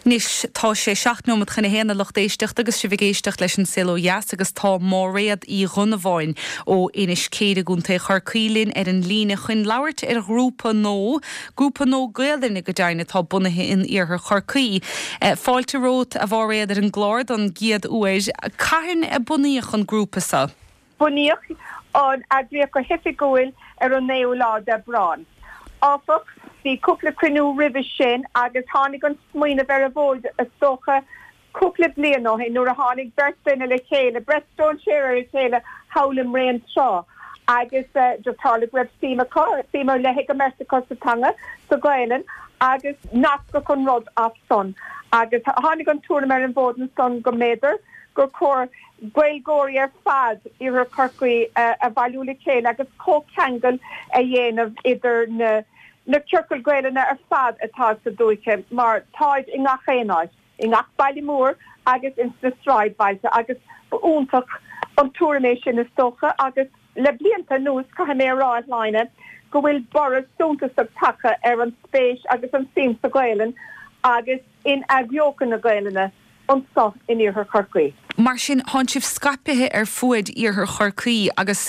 Anois, tá sé 7 nóimeat chun a haon, a lucht éisteachta, agus sibh ag éisteacht leis An Saol Ó Dheas agus tá Máiréad Uí Dhonnabháin ó Inis Céire i gContae Chorcaí linn ar an líne chun labhairt ar ghrúpa nó, grúpa nó Gaelainne go deimhin, atá bunaithe in iarthar Chorcaí. Fáilte romhat, a Mháiréad, ar an gclár don gcéad uair. Cathain a bunaíodh an grúpa seo? Bunaíodh an eagraíocht go hoifigiúil ar an 9ú lá d'Aibreán. Áfach, bhí cúpla cruinniú roimhe sin agus tháinig an smaoineamh ar an bhfód, is dócha, cúpla bliain ó shin nuair a tháinig beirt duine le chéile, beirt stróinséir ar a chéile thall i mBréantrá agus just tharla go raibh suim acu, suim ar leith ag an mbeirt acu sa teanga, sa Ghaelainn agus nascadh an rud as san agus tháinig an tuairim ar an bhfód ansan go mb'fhéidir gur chóir Gaeilgeoirí ar fad Iarthar Chorcaí a bhailiú le chéile agus comhcheangal a dhéanamh idir na na ciorcail Gaelainne ar fad atá sa dúiche mar táid i ngach aon áit, i ngach baile mór agus ins na sráidbhailte agus ba iontach an tuairim é sin is dócha agus le blianta anuas caithfidh mé a rá a Shláine go bhfuil borradh suntasach tagtha ar an spéis agus an suim sa Ghaelainn agus in athbheochan na Gaelainne anso in Iarthar Chorcaí. Mar sin, thánn sibh scaipithe ar fuaid Iarthar Chorcaí agus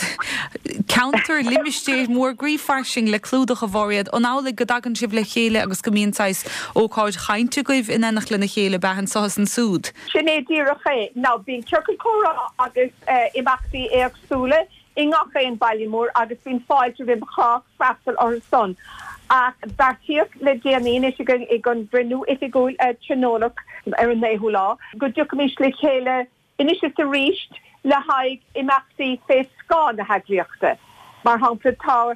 ceantar, limistéir mór groí fairsing le clúdach, a Mháiréad. An amhlaidh go dtagann sibh le chéile agus go mbíonn saghas ócáid chainte agaibh in éineacht lena chéile, ab ea, anso is ansúd? Sin é díreach é. Now, bíonn ciorcal comhrá agus imeachtaí éagsúla i ngach aon baile mór agus bíonn fáilte roimh chách freastal orthu san. Ach beartaíodh le déanaí anois ag an gcruinniú oifigiúil a tionóladh ar an naoú lá go dtiocfaimis le chéile anois is arís le haghaidh imeachtaí fé scáth na heagraíochta. Mar shampla, tá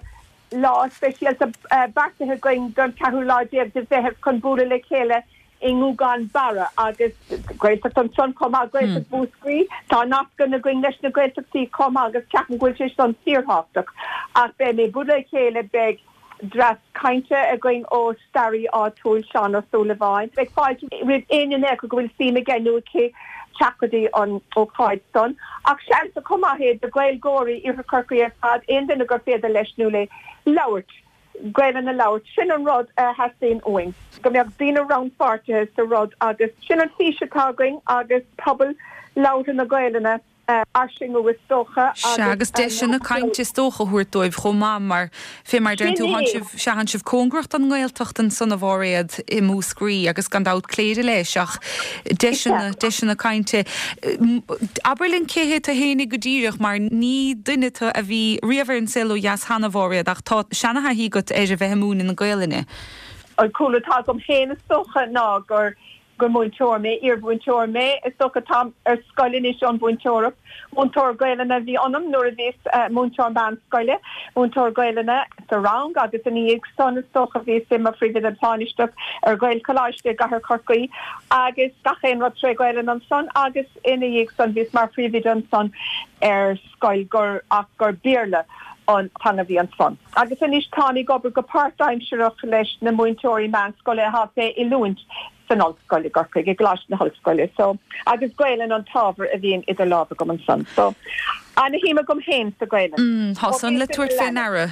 lá speisialta beartaithe againn don cheathrú lá déag de Mheitheamh chun bualadh le chéile i nGúgán Barra agus Gaeltacht ansan chomh maith, Gaeltacht Mhúscraí. Tá nascanna againn leis na Gaeltachtaí chomh maith agus ceapaim go bhfuil sé san fíorthábhachtach. Ach beidh muid ag bualadh le chéile, beidh dreas cainte againn ó staraí áitiúil, Seán Ó Súilleabháin. Beidh fáilte roimh éinne acu go bhfuil suim aige nó aici teacht go dtí an ócáid san. Ach seans chomh maith é do Ghaeilgeoirí Iarthar Chorcaí ar fad, aon duine gur féidir leis nó léi labhairt. Gaelainn a labhairt. Sin an rud a theastaíonn uainn, go mbeadh daoine rannpháirtithe sa rud agus sin an fís atá againn agus pobal labhartha na Gaelainne a fhairsingiú is dócha Sea, agus deiseanna cainte is dócha a thabhairt dóibh chomh maith mar, fé mar a deireann tú, thánn sibh, sea, thánn sibh cóngarach don nGaeltacht ansan a Mháiréad i Múscraí agus gan dabht Cléire leis ach deiseanna, deiseanna cainte. Abair linn cé hé tu fhéinig go díreach mar ní duine tu a bhí riamh ar An Saol Ó Dheas cheana, a Mháiréad, ach tá seana-thaithí agat ar a bheith ag múineadh na Gaelainne. An cúlra atá agam féin is dócha ná gur gur múinteoir mé, iarmhúinteoir mé is dócha. Táim ar scoil anois ón mhúinteoireacht. Múinteoir Gaelainne a bhí ionam nuair a bhíos múinteoir meánscoile, múinteoir Gaelainne sa rang agus ina dhiaidh san is dócha bhíos i mo phríomhoide tánaisteach ar Ghaelcholáiste i gCathair Chorcaí agus gach aon rud tré Ghaelainn ansan agus ina dhiaidh san bhíos mar phríomhoide ansan ar scoil gur ach gur Béarla an teanga a bhí ansan. Agus anois táim ag obair go páirtaimsearach leis na múinteoirí meánscoile atá fé oiliúint san ollscoil i gCorcaigh, i gColáiste na hOllscoile. So, agus Gaelainn an t-ábhar a bhíonn idir lámha agam ansan. So, ana-shuim agam féin sa Ghaelainn. Mm, tá san le tabhairt fé ndeara.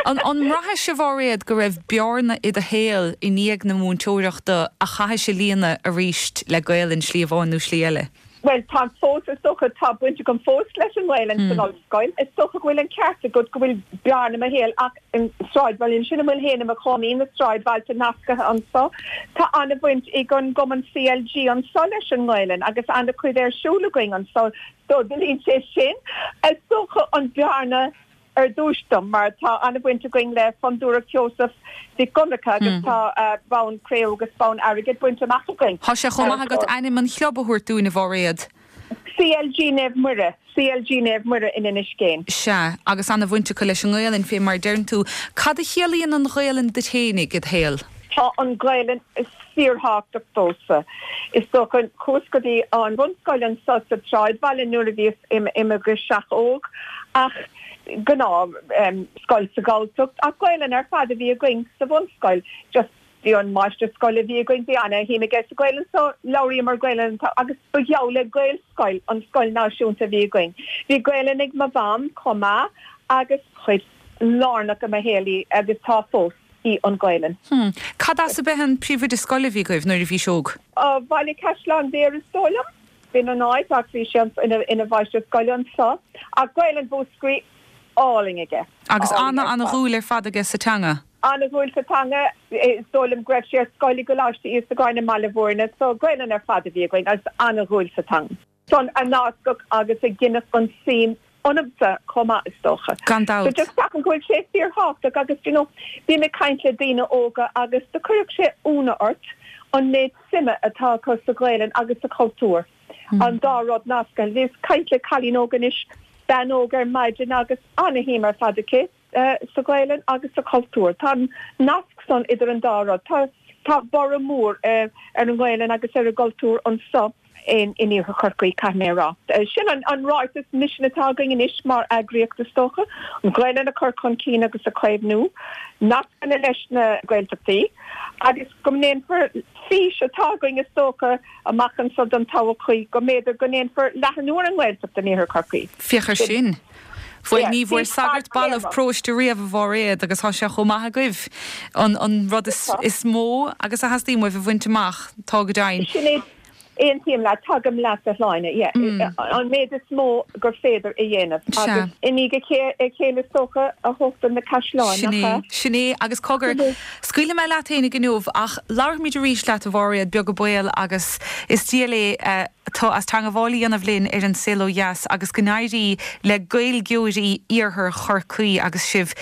An mbraithis, a Mháiréad, go raibh bearna i do shaol i ndiaidh na múinteoireachta a chaithis a líonadh aríst le Gaelainn, slí amháin nó slí eile? Bhuel, táim fós, is dócha, tá baint agam fós leis an nGaelainn san ollscoil. Is dócha go bhfuil an ceart agat go bhfuil bearna i mo shaol ach an sráidbhaile ansin a bhfuil féin i mo chónaí, na sráidbhailte nasctha anso, tá an-bhaint ag an gcumann CLG anso leis an nGaelainn agus an-chuid ar siúl againn anso so do líon sé sin, is dócha, an bhearna. ar dtúis dom, mar tá an-bhaint againn le Fondúireacht Sheosaimh Mhic Dhonncha agus tá bonn cré-umha agus bonn airgid bainte amach againn. Tá sé chomh maith agat ainm an chlub a thabhairt dúinn, a Mháiréad. CLG Naomh Muire, CLG Naomh Muire in Inis Géin. Sea, agus an-bhaint acu leis an nGaelainn, fé mar a deireann tú. Cad a chiallaíonn an Ghaelainn duit fhéinig id shaol? Tá an Ghaelainn fíorthábhachtach domhsa. Is dócha, chuas go dtí an bhunscoil anso sa tsráidbhaile nuair a bhíos i mo ghirseach óg ach gnáth scoil sa Ghalltacht ach Gaelainn ar fad a bhí againn sa bhunscoil. Just bhí an máistir scoile a bhí againn, bhí ana shuim aige sa Ghaelainn so labhraíomar Gaelainn agus ba gheall le Gaelscoil an scoil náisiúnta a bhí againn. Bhí Gaelainn ag mo mham chomh maith agus chuid lárnach i mo shaol í agus tá fós. í an Ghaelainn. Hm. Cad as ab ea an príomhoide scoile a bhí agaibh nuair a bhís óg? Baile Caisleán Bhéarra is dóigh liom. B'in an áit ach bhí sé ina mháistir scoile anso. Ach Gaelainn Mhúscraí álainn aige. Agus ana, ana dhúil ar fad aige sa teanga. Ana dhúil sa teanga. Is dóigh liom go raibh sé ar scoil i gColáiste Íosagáin i mBaile Bhúirne so Gaelainn ar fad a bhí againn agus ana dhúil sa teanga. San a nascadh agus a ghineadh an suim ionamsa chomh maith is dócha. Gan dabht. So just ceapaim go bhfuil sé fíorthábhachtach agus do you know bím ag caint le daoine óga agus do cuirfeadh sé ionadh ort an méid suime atá acu sa Ghaelainn agus sa chultúr. An dá rud nasctha. Bhíos ag caint le cailín óg anois, bean óg ar maidin agus ana-shuim ar fad aici. sa Ghaelainn agus sa chultúr. Tá an nasc san idir an dá rud. Tá tá borradh mór ar an nGaelainn agus ar an gcultúr anso in in Iarthar Chorcaí, caithfidh mé a rá. Sin an an ráiteas misin atá againn anois mar eagraíocht is dócha, an Ghaelainn a chur chun cinn agus a chaomhnú, nascanna leis na Gaeltachtaí agus go ndéanfar fís atá againn is dócha amach anso don todhchaí go mb'fhéidir go ndéanfar leathnú ar an nGaeltacht in Iarthar Chorcaí. Féach ar sin. Bhuel, ní bhfuair sagart balbh paróiste riamh, a Mháiréad, agus tá sé chomh maith agaibh. An an rud is is mó agus a theastaíonn uaibh a bhaint amach, tá go deimhin. Sin é. Aontaím leat. Tagaim leat, a Shláine. Yeah. An méid is mó gur féidir a dhéanamh. Agus i ndiaidh a chéile is dócha a thógtar na caisleáin, nach ea? Sin é. Agus cogar, scaoilfidh mé leat fhéinig inniu, ach labharfaimid arís leat, a Mháiréad, beag an baol, agus is diail é. tú as teangabháil a dhéanamh linn ar An Saol Ó Dheas agus go n-éirí le Gaeilgeoirí Iarthar Chorcaí agus sibh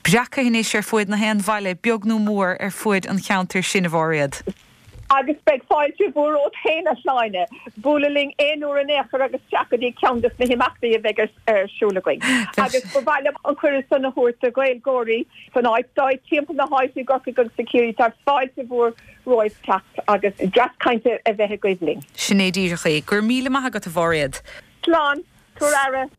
breactha anois ar fuaid na haon bhaile, beag nó mór, ar fuaid an cheantair sin, a Mháiréad. Agus beidh fáilte mhór romhat féin, a Shláine, bualadh linn aon uair in aon chor agus teacht go dtí ceann des na himeachtaí a bheidh ar siúl againn. Agus ba mhaith liom an cuireadh san a thabhairt do Ghaeilgeoirí san áit, timpeall na háite i gCorcaigh agus i Ciarraí, tá fáilte mhór romhaibh teacht agus dreas cainte a bheith agaibh linn. Sin é díreach é. Go raibh míle maith agat, a Mháiréad. Slán. Tabhair aire.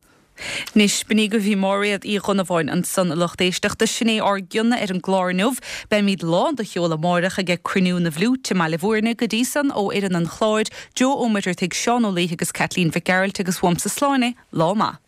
Anois, b'in í agaibh í Máiréad Uí Dhonnabháin ansan, a lucht éisteachta. Sin é ár gcion ar an gclár inniu. Beimíd lán de cheol amáireach aige Cruinniú na bhFliúit i mBaile Bhúirne. Go dtí san, ó fhoireann an chláir, Joe Ó Muircheartaigh, Seán Ó Laoithe agus Caitlín Mhic Gearailt agus uaimse Sláine, lá maith.